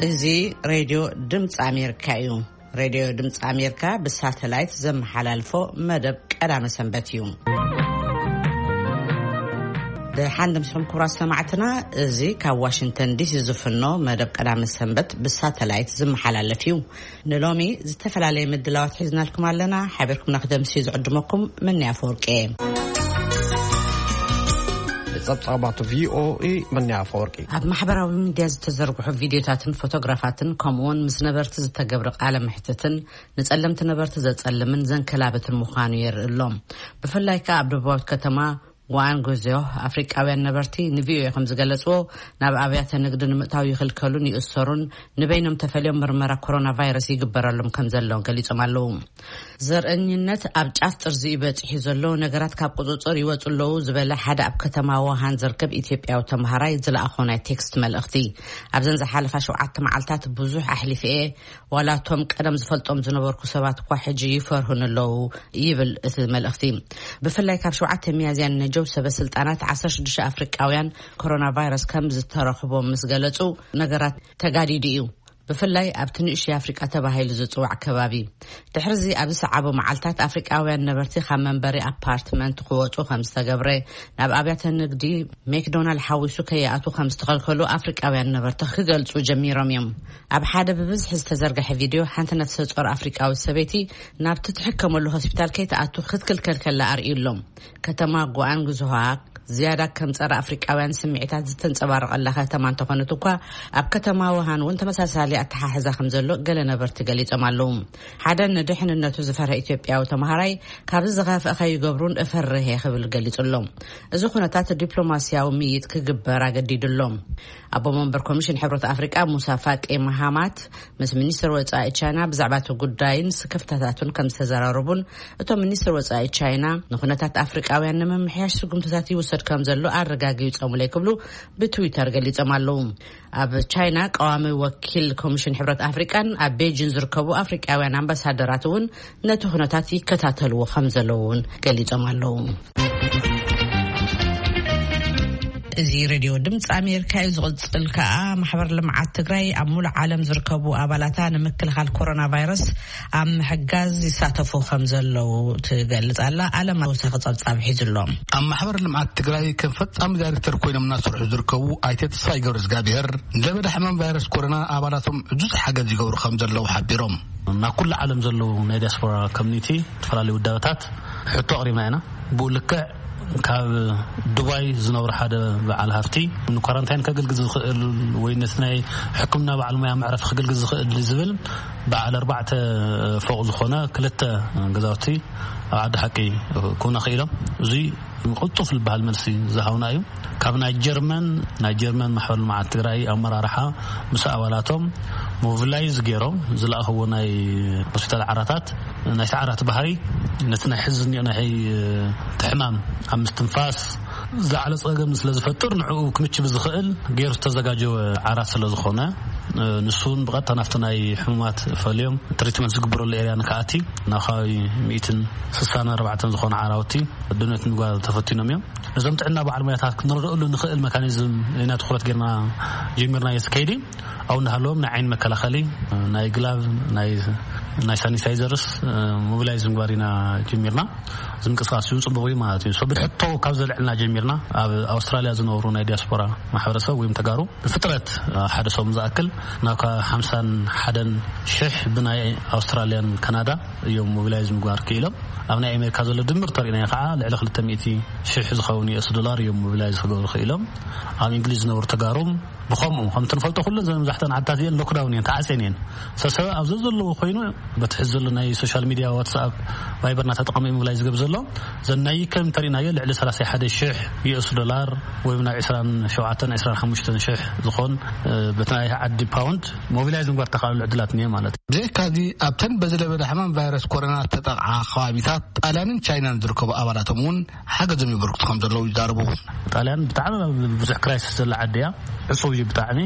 እዚ ሬድዮ ድምፂ ኣሜሪካ እዩ። ሬድዮ ድምፂ ኣሜሪካ ብሳተላይት ዘመሓላልፎ መደብ ቀዳመ ሰንበት እዩ። ደሓን ድምስኹም ክቡራት ሰማዕትና፣ እዚ ካብ ዋሽንግተን ዲሲ ዝፍኖ መደብ ቀዳመ ሰንበት ብሳተላይት ዝመሓላለፍ እዩ። ንሎሚ ዝተፈላለየ ምድላዋት ሒዝናልኩም ኣለና። ሓቢርኩም ንክደምሲ ዝዕድመኩም መን ኣፈወርቂ እየ። ጸብጻባት ቪኦኤ መን ኣፈወርቂ። ኣብ ማሕበራዊ ሚድያ ዝተዘርግሑ ቪድዮታትን ፎቶግራፋትን፣ ከምኡውን ምስ ነበርቲ ዝተገብረ ቃለ ምሕትትን፣ ንጸለምቲ ነበርቲ ዘጸልምን ዘንከላብትን ምዃኑ የርኢ ኣሎ። ብፍላይ ከኣ ኣብ ደቡባዊት ከተማ ዋንጉዝዮ፣ ኣፍሪቃውያን ነበርቲ ንቪኦኤ ከም ዝገለጽዎ፣ ናብ ኣብያተ ንግዲ ንምእታው ይኽልከሉን ይእሰሩን፣ ንበይኖም ተፈልዮም ምርመራ ኮሮና ቫይረስ ይግበረሎም ከም ዘለውን ገሊጾም ኣለዉ። ዘርእኝነት ኣብ ጫፍ ጥርዚ እዩ በጺሑ ዘሎ፣ ነገራት ካብ ቁጽጽር ይወጹ ኣለዉ ዝበለ ሓደ ኣብ ከተማ ውሃን ዝርከብ ኢትዮጵያዊ ተምሃራይ ዝለኣኾ ናይ ቴክስት መልእኽቲ፣ ኣብዘን ዝሓለፋ ሸውዓተ መዓልታት ብዙሕ ኣሕሊፈ እየ፣ ዋላ እቶም ቀደም ዝፈልጦም ዝነበርኩ ሰባት እኳ ሕጂ ይፈርሁን ኣለዉ ይብል እቲ መልእኽቲ። ብፍላይ ካብ ሸውዓተ ሚያዝያ ንነጀው ሰበ ስልጣናት ዓሰርተ ሽዱሽተ ኣፍሪቃውያን ኮሮና ቫይረስ ከም ዝተረኽቦም ምስ ገለጹ፣ ነገራት ተጋዲዱ እዩ። ብፍላይ ኣብቲ ንእሽተይ ኣፍሪቃ ተባሂሉ ዝጽዋዕ ከባቢ። ድሕርዚ ኣብ ዝሰዓቡ መዓልታት ኣፍሪቃውያን ነበርቲ ካብ መንበሪ ኣፓርትመንት ክወጹ ከም ዝተገብረ፣ ናብ ኣብያተ ንግዲ ሜክዶናልድ ሓዊሱ ከይኣቱ ከም ዝተኸልከሉ ኣፍሪቃውያን ነበርቲ ክገልጹ ጀሚሮም እዮም። ኣብ ሓደ ብብዝሒ ዝተዘርግሐ ቪድዮ፣ ሓንቲ ነፍሰ ጾር ኣፍሪቃዊት ሰበይቲ ናብቲ ትሕከመሉ ሆስፒታል ከይትኣቱ ክትክልከል ከላ ኣርእዩ ኣሎ። ከተማ ጓንግዝሆ ዝያዳ ከም ጸረ ኣፍሪቃውያን ስምዒታት ዝተንጸባረቐላ ከተማ እንተኾነት እኳ፣ ኣብ ከተማ ውሃን እውን ተመሳሳሊ ኣተሓሕዛ ከም ዘሎ ገለ ነበርቲ ገሊጾም ኣለዉ። ሓደ ንድሕንነቱ ዝፈርህ ኢትዮጵያዊ ተምሃራይ፣ ካብዚ ዝኸፍአ ከይገብሩን እፈርህ እየ ክብል ገሊጹ ኣሎ። እዚ ኩነታት ዲፕሎማስያዊ ምይይጥ ክግበር ኣገዲዱ ኣሎ። ኣቦ መንበር ኮሚሽን ሕብረት ኣፍሪቃ ሙሳ ፋቂ መሃማት ምስ ሚኒስትር ወጻኢ ቻይና ብዛዕባ እቲ ጉዳይን ስክፍታታቱን ከም ዝተዘራረቡን፣ እቶም ሚኒስትር ወጻኢ ቻይና ንኩነታት ኣፍሪቃውያን ንምምሕያሽ ስጉምትታት ይውሰድ ከም ዘሎ ኣረጋጊጾምለይ ክብሉ ብትዊተር ገሊጾም ኣለዉ። ኣብ ቻይና ቀዋሚ ወኪል ኮሚሽን ሕብረት ኣፍሪቃን ኣብ ቤጂን ዝርከቡ ኣፍሪቃውያን ኣምባሳደራት እውን ነቲ ኩነታት ይከታተልዎ ከም ዘለዉ እውን ገሊጾም ኣለዉ። እዚ ሬድዮ ድምፂ ኣሜሪካ እዩ። ዝቕጽል ከኣ ማሕበር ልምዓት ትግራይ ኣብ ሙሉእ ዓለም ዝርከቡ ኣባላታ ንምክልኻል ኮሮና ቫይረስ ኣብ ምሕጋዝ ይሳተፉ ከም ዘለዉ ትገልጽ ኣላ። ኣለም ተወሳኺ ጸብጻብ ሒዙ ኣሎ። ኣብ ማሕበር ልምዓት ትግራይ ከም ፈጻሚ ዳይሬክተር ኮይኖም እናሰርሑ ዝርከቡ ኣይተ ተስፋይ ገብረ እግዚኣብሔር፣ ንለበዳ ሕማም ቫይረስ ኮሮና ኣባላቶም ዕዙዝ ሓገዝ ይገብሩ ከም ዘለዉ ሓቢሮም። ናብ ኩሉ ዓለም ዘለዉ ናይ ዲያስፖራ ኮሚኒቲ፣ ዝተፈላለዩ ውዳበታት ሕቶ ኣቕሪብና ኢና። ብኡ ልክዕ ካብ ዱባይ ዝነብሩ ሓደ በዓል ሃፍቲ፣ ንኳራንታይን ከገልግል ዝኽእል ወይ ነቲ ናይ ሕክምና በዓል ሞያ መዕረፊ ክገልግል ዝኽእል ዝብል በዓል ኣርባዕተ ፎቕ ዝኾነ ክልተ ገዛውቲ ኣብ ዓዲ ሓቂ ክውነ ክኢሎም። እዙይ ቅልጡፍ ዝበሃል መልሲ ዝሃውና እዩ። ካብ ናይ ጀርመን፣ ናይ ጀርመን ማሕበር ልምዓት ትግራይ ኣመራርሓ ምስ ኣባላቶም ሞቢላይዝ ገይሮም ዝለኣኽዎ ናይ ሆስፒታል ዓራታት፣ ናይ ሰዓራት ባህሪ ነቲ ናይ ሕዚ እኒኦ ናይ ሕይ-፣ እቲ ሕማም ኣብ ምስትንፋስ ዝዓለ ጸገም ስለ ዝፈጥር፣ ንዕኡ ክምችብ ዝኽእል ገይሩ ዝተዘጋጀወ ዓራት ስለ ዝኾነ፣ ንሱ እውን ብቐጥታ ናብቲ ናይ ሕሙማት ፈልዮም ትሪትመንት ዝግበረሉ ኤርያ ንክኣቲ ናብ ከባቢ ሚእትን ስሳን ኣርባዕተን ዝኾኑ ዓራውቲ ዶኔት ምግባር ተፈቲኖም እዮም። ነዞም ጥዕና በዓል ሞያታት ክንረድኣሉ ንኽእል መካኒዝም ኢና ትኹረት ጌርና ጀሚርናዮ እቲ ከይዲ። ኣብኡ እናሃለዎም ናይ ዓይኒ መከላኸሊ፣ ናይ ግላቭ፣ ናይ፣ ናይ ሳኒታይዘርስ፣ እ፣ ሞቢላይዝ ምግባር ኢና ጀሚርና። እዚ ምንቅስቃስ እውን ጽቡቕ እዩ ማለት እዩ። So፣ ብሕቶ ካብ ዘልዕልና ጀሚርና ኣብ ኣውስትራልያ ዝነብሩ ናይ ዲያስፖራ ማሕበረሰብ ወይም ተጋሩ ብፍጥረት፣ እ፣ ሓደ ሰሙን ዝኣክል ናብ ከ-፣ ሓምሳን ሓደን ሽሕ ብናይ ኣውስትራልያን ካናዳ እዮም ሞቢላይዝ ምግባር ክኢሎም። ኣብ ናይ ኣሜሪካ ዘሎ ድምር ተሪእናዮ ከዓ ልዕሊ ክልተ ሚእቲ ሽሕ ዝኸውን ዩ ኤስ ዶላር እዮም ሞቢላይዝ ክገብሩ ክኢሎም። ኣብ እንግሊዝ ዝነብሩ ተጋሩም ብኸምኡ፣ ከምቲ ንፈልጦ ኩለን ዘን መብዛሕተን ዓድታት እየን ሎክዳውን እየን፣ ተዓፅየን እየን። ሰሰበ ኣብ ዘዘለዎ ኮይኑ በቲ ሕዚ ዘሎ ናይ ሶሻል ሚድያ፣ ዋትስኣፕ፣ ቫይበር እናተጠቐመ እዩ ሞቢላይዝ ዝገብር ዘሎ። ዘን ናይ ከም ተሪእናዮ ልዕሊ ሰላሳ ሓደ ሽሕ ዩ ኤስ ዶላር ወይ ናብ ዕስራን ሸውዓተን ዕስራን ሓሙሽተን ሽሕ ዝኾን፣ እ፣ በቲ ናይ ዓዲ ፓውንድ ሞቢላይዝ ምግባር ተኻእሉ ዕድላት እኒኦ ማለት እዩ። ብዘይካዚ ኣብተን በዚ ለበዳ ሕማም ቫይረስ ኮሮና ዝተጠቕዓ ከባቢታት ጣልያንን ቻይናን ዝርከቡ ኣባላቶም እውን ሓገዞም የበርክቱ ከም ዘለዉ ይዛረቡ። ጣልያን ብጣዕሚ ኣብ ብዙሕ ክራይሲስ ዘላ ዓዲ እያ። ዕጹው እዩ ብጣዕሚ።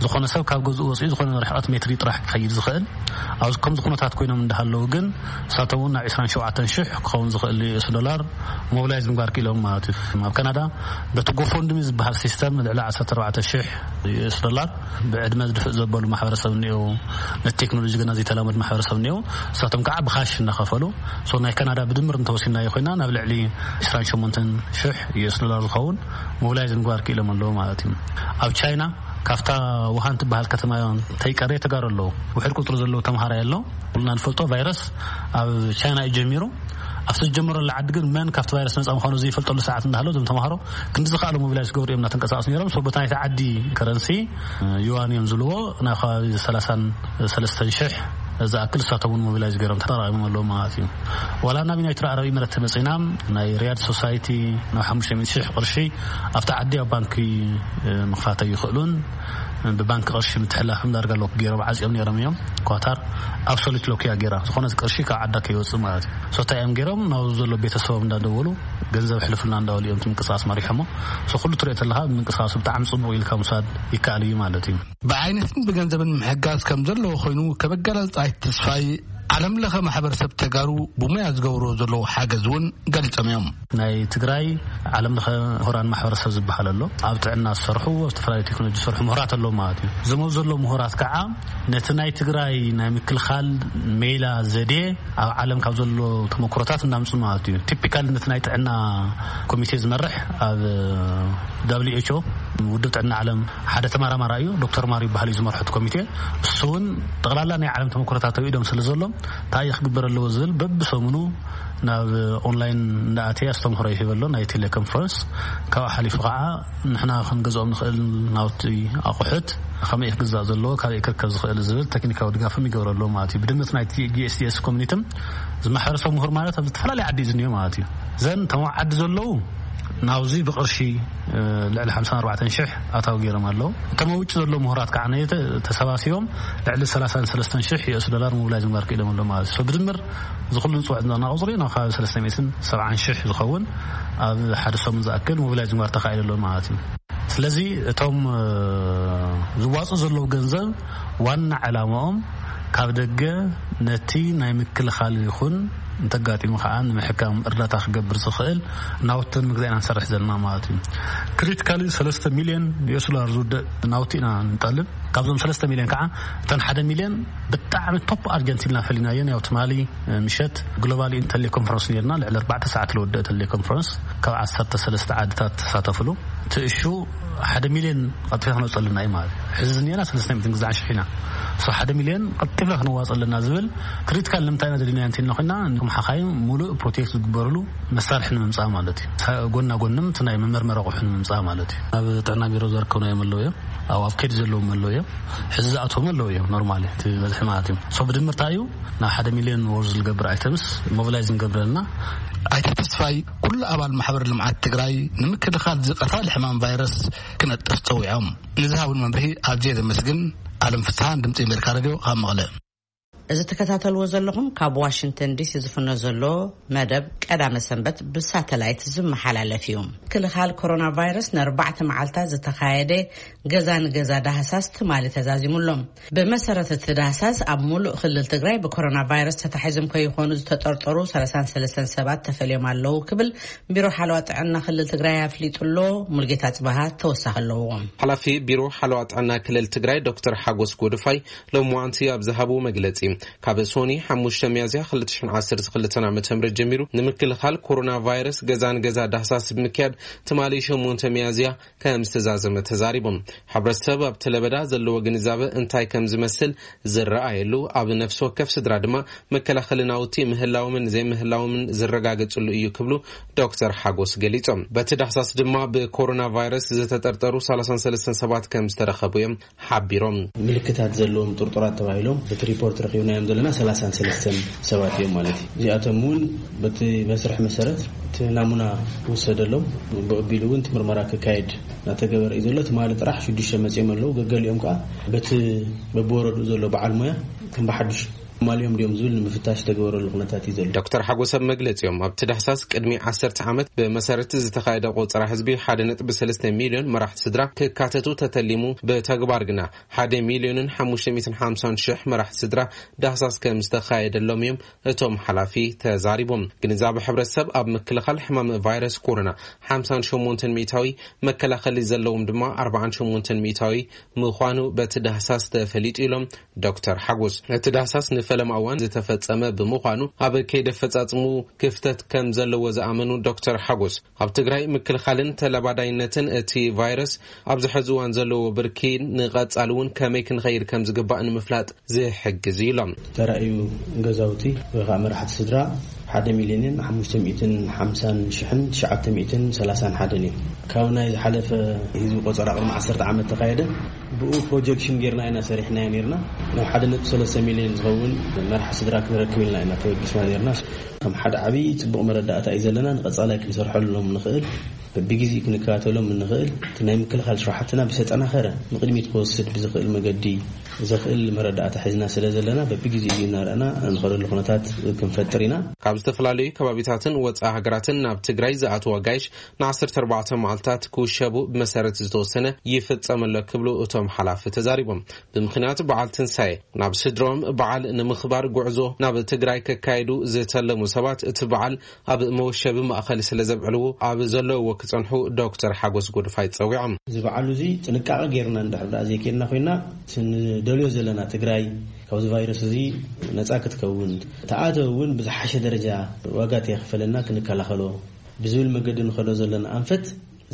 ዝኾነ ሰብ ካብ ገዝኡ ወፂኡ ዝኾነ ርሕቐት ሜትሪ ጥራሕ ክኸይድ ዝኽእል። ኣብዚ ከም ዝኾነ ታት ኮይኖም እንዳሃለዉ ግን ንሳቶም እውን ናብ ዕስራን ሸውዓተን ሽሕ ክኸውን ዝኽእል ዩ ዩኤስ ዶላር ሞቢላይዝ ምግባር ክኢሎም ማለት እዩ። ኣብ ካናዳ በቲ ጎፎንድሚ ዝበሃል ሲስተም ልዕሊ ዓሰርተ ኣርባዕተ ሽሕ ዩኤስ ዶላር ብዕድመ ዝድፍእ ዘበሉ ማሕበረሰብ እኒኦ፣ ነቲ ቴክኖሎጂ ግና ዘይተላመድ ማሕበረሰብ እኒኦ። ንሳቶም ከዓ ብካሽ እናኸፈሉ፣ ሶ ናይ ካናዳ ብድምር እንተወሲናዮ ኮይና ናብ ልዕሊ ዕስራን ሸሞንተን ሽሕ ዩኤስ ዶላር ዝኸውን ሞቢላይዝ ምግባር ክኢሎም ኣለዉ ማለት እዩ። ኣብ ቻይና ካብታ ውሃን ትበሃል ከተማ ተይቀረየ ተጋሩ ኣለዉ። ውሕድ ቁፅሪ ዘለዉ ተምሃራይ ኣሎ። ኩልና ንፈልጦ ቫይረስ ኣብ ቻይና እዩ ጀሚሩ። ኣብቲ ዝጀመረሉ ዓዲ ግን መን ካብቲ ቫይረስ ነፃ ምዃኑ ዘይፈልጠሉ ሰዓት እንዳሃለዉ እዞም ተምሃሮ ክንዲ ዝኸኣሉ ሞቢላይዝ ክገብሩ እዮም እናተንቀሳቐሱ ነይሮም። ሶ በታ ናይቲ ዓዲ ከረንሲ ዩዋን እዮም ዝብልዎ፣ ናብ ከባቢ ሰላሳን ሰለስተን ሽሕ ዝኣክል ንሳቶም እውን ሞቢላይዝ ገይሮም ተጠራቒሞም ኣለዉ ማለት እዩ። ዋላ ናብ ዩናይትድ ዓረብ ኢሚረት ተመፂና ናይ ሪያድ ሶሳይቲ ናብ ሓሙሽተ ሚእቲ ሽሕ ቅርሺ ኣብቲ ዓዲ ኣብ ባንኪ ምኽፋት ኣይኽእሉን። ብባንክ ቅርሺ ምትሕልላፎም ዳርጋ ሎክ ገይሮም ዓፂኦም ነይሮም እዮም። ኳታር ኣብሶሉት ሎክ እያ ገይራ፣ ዝኾነ ቅርሺ ካብ ዓዳ ከይወፅእ ማለት እዩ። ሶ እንታይ እዮም ገይሮም? ናብዚ ዘሎ ቤተሰቦም እንዳደወሉ ገንዘብ ሕልፉልና እንዳበሉ እዮም እቲ ምንቅስቃስ መሪሖሞ። ሶ ኩሉ ትሪኦ ተለካ ምንቅስቃሱ ብጣዕሚ ፅቡቅ ኢልካ ምውሳድ ይከኣል እዩ ማለት እዩ። ብዓይነትን ብገንዘብን ምሕጋዝ ከም ዘለዎ ኮይኑ ከም ኣገላልፃ ኣይተ ተስፋይ፣ ዓለም ለኸ ማሕበረሰብ ተጋሩ ብሞያ ዝገብርዎ ዘለዉ ሓገዝ እውን ገሊፆም እዮም። ናይ ትግራይ ዓለም ለኸ ምሁራን ማሕበረሰብ ዝበሃል ኣሎ። ኣብ ጥዕና ዝሰርሑ፣ ኣብ ዝተፈላለዩ ቴክኖሎጂ ዝሰርሑ ምሁራት ኣለዉ ማለት እዩ። እዞም ኣብዚ ዘለዉ ምሁራት ከዓ ነቲ ናይ ትግራይ ናይ ምክልኻል ሜላ ዘዴ ኣብ ዓለም ካብ ዘሎ ተመክሮታት እናምፁ ማለት እዩ። ቲፒካል ነቲ ናይ ጥዕና ኮሚቴ ዝመርሕ ኣብ ደብሊው ኤች ኦ፣ ውድብ ጥዕና ዓለም፣ ሓደ ተመራማራይ እዩ፣ ዶክተር ማሪ ይበሃል እዩ ዝመርሖ እቲ ኮሚቴ። እሱ እውን ጠቕላላ ናይ ዓለም ተመክሮታት ኣብ ኢዶም ስለ ዘሎ እንታይ ክግበር ኣለዎ ዝብል በብሰሙኑ ናብ ኦንላይን እንዳኣተየ ኣስተምህሮ ይህበ ኣሎ፣ ናይ ቴሌኮንፈረንስ። ካብኡ ሓሊፉ ከዓ ንሕና ክንገዝኦም ንኽእል ናውቲ ኣቑሑት ከመይ ክግዛእ ዘለዎ፣ ካበይ ክርከብ ዝኽእል ዝብል ቴክኒካዊ ድጋፍም ይገብረሉ ማለት እዩ። ብድምር ናይቲ ጂ ኤስ ዲ ኤስ ኮሚኒቲ እዚ ማሕበረሰብ ምሁር ማለት ኣብ ዝተፈላለየ ዓዲ እዩ ዝኒኦ ማለት እዩ። ዘን ተመ ዓዲ ዘለዉ ናብዚ ብቅርሺ ልዕሊ ሓምሳን ኣርባዕተን ሽሕ ኣታዊ ገይሮም ኣለዉ። እቶም ኣብ ውጭ ዘለዉ ምሁራት ከዓ ነየተ ተሰባሲቦም ልዕሊ ሰላሳን ሰለስተን ሽሕ ዩኤስ ዶላር ሞቢላይዝ ምግባር ክኢሎም ኣለዉ ማለት እዩ። ብድምር እዚ ኩሉ ንፅውዕ ዘለና ቁፅሪ ናብ ከባቢ ሰለስተ ሚእትን ሰብዓን ሽሕ ዝኸውን ኣብ ሓደ ሰሙን ዝኣክል ሞቢላይዝ ምግባር ተኻኢሉ ኣሎ ማለት እዩ። ስለዚ እቶም ዝዋፁ ዘለዉ ገንዘብ ዋና ዕላማኦም ካብ ደገ ነቲ ናይ ምክልኻል ይኹን እንተጋጢሙ ከዓ ንምሕካም እርዳታ ክገብር ዝኽእል ናውትን ምግዛእና ንሰርሕ ዘለና ማለት እዩ። ክሪቲካሊ ሰለስተ ሚልዮን ዩኤስ ዶላር ዝውድእ ናውቲ ኢና ንጠልብ። ካብዞም ሰለስተ ሚልዮን ከዓ እተን ሓደ ሚልዮን ብጣዕሚ ቶፕ ኣርጀንት ኢልና ፈሊናየን። ያው ትማሊ ምሸት ግሎባል ቴሌኮንፈረንስ ነርና፣ ልዕሊ ኣርባዕተ ሰዓት ዝወደእ ቴሌኮንፈረንስ ካብ ዓሰርተ ሰለስተ ዓድታት ተሳተፍሉ። እቲ እሹ ሓደ ሚልዮን ቀልጢፍና ክነውፀለና እዩ ማለት እዩ። ሕዚ ዝኒአና ሰለስተ ሚእትን ግዛዕ ሽሕ ኢና። ሶ ሓደ ሚልዮን ቀልጢፍና ክነዋፀለና ዝብል ክሪቲካል ንምንታይ ኢና ደሊና እንተልና ኮይና ንኩም ሓኻይም ሙሉእ ፕሮቴክት ዝግበርሉ መሳርሒ ንምምፃእ ማለት እዩ። ጎና ጎንም እቲ ናይ መመርመሪ ኣቑሑ ንምምፃእ ማለት እዩ። ኣብ ጥዕና ቢሮ ዘርከብናዮም ኣለዉ እዮም። ኣብ ኣብ ከይዲ ዘለዎም ኣለዉ እዮም። ሕዚ ዝኣትዎም ኣለዉ እዮም። ኖርማሊ እቲ በዝሒ ማለት እዩ። ሶ ብድምርታ እዩ ናብ ሓደ ሚልዮን ወርዝ ዝገብር ኣይተምስ ሞቢላይዝ ንገብረልና። ኣይተ ተስፋይ ኩሉ ኣባል ማሕበር ልምዓት ትግራይ ንምክልኻል ዝቀታል ሕማም ቫይረስ ክነጥፍ ፀዊዖም። ንዝሃቡን መምርሒ ኣዝየ ዘመስግን። ኣለም ፍስሃን ድምፂ ኣሜሪካ ሬድዮ ካብ መቐለ። እዚ ትከታተልዎ ዘለኹም ካብ ዋሽንግተን ዲሲ ዝፍኖ ዘሎ መደብ ቀዳመ ሰንበት ብሳተላይት ዝመሓላለፍ እዩ። ምክልኻል ኮሮና ቫይረስ ንኣርባዕተ መዓልታት ዝተኻየደ ገዛ ንገዛ ዳህሳስ ትማሊ ተዛዚሙ ኣሎ። ብመሰረት እቲ ዳህሳስ ኣብ ሙሉእ ክልል ትግራይ ብኮሮና ቫይረስ ተታሒዞም ከይኾኑ ዝተጠርጠሩ ሰላሳን ሰለስተን ሰባት ተፈልዮም ኣለዉ ክብል ቢሮ ሓለዋ ጥዕና ክልል ትግራይ ኣፍሊጡ ኣሎ። ሙልጌታ ጽባሃ ተወሳኺ ኣለዎ። ሓላፊ ቢሮ ሓለዋ ጥዕና ክልል ትግራይ ዶክተር ሓጎስ ጎድፋይ ሎሚ ዋንቲ ኣብ ዝሃብዎ መግለጺ፣ ካብ ሶኒ ሓሙሽተ ሚያዝያ ክልተ ሽሕን ዓሰርተ ክልተን ዓመተ ምህረት ጀሚሩ ንምክልኻል ኮሮና ቫይረስ ገዛ ንገዛ ዳህሳስ ብምክያድ ትማሊ ሸሞንተ ሚያዝያ ከም ዝተዛዘመ ተዛሪቦም። ሕብረተሰብ ኣብቲ ለበዳ ዘለዎ ግንዛበ እንታይ ከም ዝመስል ዝረኣየሉ፣ ኣብ ነፍሲ ወከፍ ስድራ ድማ መከላኸሊ ናውቲ ምህላዎምን ዘይምህላዎምን ዝረጋገጽሉ እዩ ክብሉ ዶክተር ሓጎስ ገሊጾም። በቲ ዳህሳስ ድማ ብኮሮና ቫይረስ ዝተጠርጠሩ ሰላሳን ሰለስተን ሰባት ከም ዝተረኸቡ እዮም ሓቢሮም። ምልክታት ዘለዎም ጥርጡራት ተባሂሎም በቲ ሪፖርት ረኺብናዮም ዘለና ሰላሳን ሰለስተን ሰባት እዮም ማለት እዩ። እዚኣቶም እውን በቲ መስርሕ መሰረት እቲ ናሙና ክውሰደሎም ብቕቢሉ እውን እቲ ምርመራ ክካየድ እናተገበረ እዩ ዘሎ። ትማሊ ጥራሕ ሽዱሽተ መፂኦም ኣለዉ። ገገሊኦም ከዓ በቲ በብወረድኡ ዘሎ በዓል ሞያ ከም ብሓዱሽ ማልዮም ድዮም ዝብል ንምፍታሽ ዝተገበረሉ ኩነታት እዩ ዘሎ። ዶክተር ሓጎስ ኣብ መግለጺኦም፣ ኣብቲ ዳህሳስ ቅድሚ ዓሰርተ ዓመት ብመሰረት ዝተኻየደ ቆጸራ ህዝቢ ሓደ ነጥቢ ሰለስተ ሚልዮን መራሕቲ ስድራ ክካተቱ ተተሊሙ፣ ብተግባር ግና ሓደ ሚልዮንን ሓሙሽተ ሚእትን ሓምሳን ሽሕ መራሕቲ ስድራ ዳህሳስ ከም ዝተኻየደሎም እዮም እቶም ሓላፊ ተዛሪቦም። ግንዛቤ ሕብረተሰብ ኣብ ምክልኻል ሕማም ቫይረስ ኮሮና ሓምሳን ሸሞንተን ሚእታዊ፣ መከላኸሊ ዘለዎም ድማ ኣርባዓን ሸሞንተን ሚእታዊ ምዃኑ በቲ ዳህሳስ ተፈሊጡ ኢሎም ዶክተር ሓጎስ። እቲ ዳህሳስ ንፈለማ እዋን ዝተፈጸመ ብምዃኑ ኣብ ከይዲ ኣፈጻጽሙ ክፍተት ከም ዘለዎ ዝኣመኑ ዶክተር ሓጎስ፣ ኣብ ትግራይ ምክልኻልን ተለባዳይነትን እቲ ቫይረስ ኣብዚ ሕዚ እዋን ዘለዎ ብርኪ ንቐጻሊ እውን ከመይ ክንኸይድ ከም ዝግባእ ንምፍላጥ ዝሕግዝ እዩ ኢሎም። ተራእዩ ገዛውቲ ወይ ከዓ መራሕቲ ስድራ ሓደ ሚልዮንን ሓሙሽተ ሚእትን ሓምሳን ሽሕን ትሽዓተ ሚእትን ሰላሳን ሓደን እዩ። ካብ ናይ ዝሓለፈ ህዝቢ ቆጸራ ቅድሚ ዓሰርተ ዓመት ተኻየደ፣ ብኡ ፕሮጀክሽን ጌርና ኢና ሰሪሕናዮ ኔርና። ናብ ሓደ ነጥቢ ሰለስተ ሚልዮን ዝኸውን መራሒ ስድራ ክንረክብ ኢልና ኢና ተበጊስና ኔርና። ከም ሓደ ዓብዪ ጽቡቕ መረዳእታ እዩ ዘለና። ንቐጻላይ ክንሰርሐሎም ንኽእል፣ በብግዜኡ ክንከታተሎም እንኽእል፣ እቲ ናይ ምክልኻል ስራሕትና ብዝተጠናኸረ ንቕድሚት ክወስድ ብዝኽእል መገዲ ዘኽእል መረዳእታ ሒዝና ስለ ዘለና፣ በብግዜኡ እናረኣና እንኸደሉ ኩነታት ክንፈጥር ኢና። ካብ ዝተፈላለዩ ከባቢታትን ወፃኢ ሃገራትን ናብ ትግራይ ዝኣትዉ ኣጋይሽ ንዓሰርተ ኣርባዕተ መዓልታት ክውሸቡ ብመሰረት ዝተወሰነ ይፍጸም ኣሎ ክብሉ እቶም ሓላፊ ተዛሪቦም። ብምኽንያት በዓል ትንሳኤ ናብ ስድሮም በዓል ንምኽባር ጉዕዞ ናብ ትግራይ ከካይዱ ዝተለሙ ሰባት እቲ በዓል ኣብ መወሸቢ ማእኸል ስለ ዘብዕልዎ ኣብ ዘለውዎ ክጸንሑ ዶክተር ሓጎስ ጎድፋይ ጸዊዖም። እዚ በዓሉ እዚ ጥንቃቐ ጌርና እንድሕር ደኣ ዘይኬድና ኮይና፣ እቲ ንደልዮ ዘለና ትግራይ ካብዚ ቫይረስ እዚ ነጻ ክትከውን፣ ተኣተወ እውን ብዝሓሸ ደረጃ ዋጋ ተየኽፈለና ክንከላኸሎ ብዝብል መገዲ ንኸዶ ዘለና ኣንፈት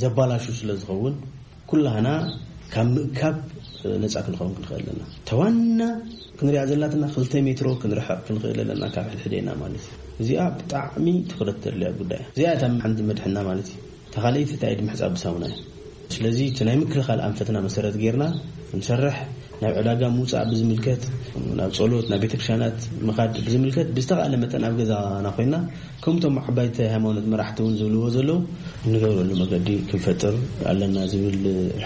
ዘባላሹ ስለ ዝኸውን፣ ኩላህና ካብ ምእካብ ነጻ ክንኸውን ክንኽእል ኣለና። ተዋና ክንሪኣ ዘላትና ክልተ ሜትሮ ክንርሕቕ ክንኽእል ኣለና ካብ ሕድሕዴና ማለት እዩ። እዚኣ ብጣዕሚ ትኹረት ተድልያ ጉዳይ እያ። እዚኣ እታ ሓንቲ መድሕና ማለት እዩ። እታ ካልኣይቲ እንታይ ድምሕፃብ ብሳሙና እዩ። ስለዚ እቲ ናይ ምክልኻል ኣንፈትና መሰረት ጌርና ክንሰርሕ፣ ናብ ዕዳጋ ምውፃእ ብዝምልከት፣ ናብ ጸሎት፣ ናብ ቤተክርስትያናት ምኻድ ብዝምልከት ብዝተኻእለ መጠን ኣብ ገዛና ኮይና፣ ከምቶም ዓባይቲ ሃይማኖት መራሕቲ እውን ዝብልዎ ዘለዉ፣ እንገብረሉ መገዲ ክንፈጥር ኣለና ዝብል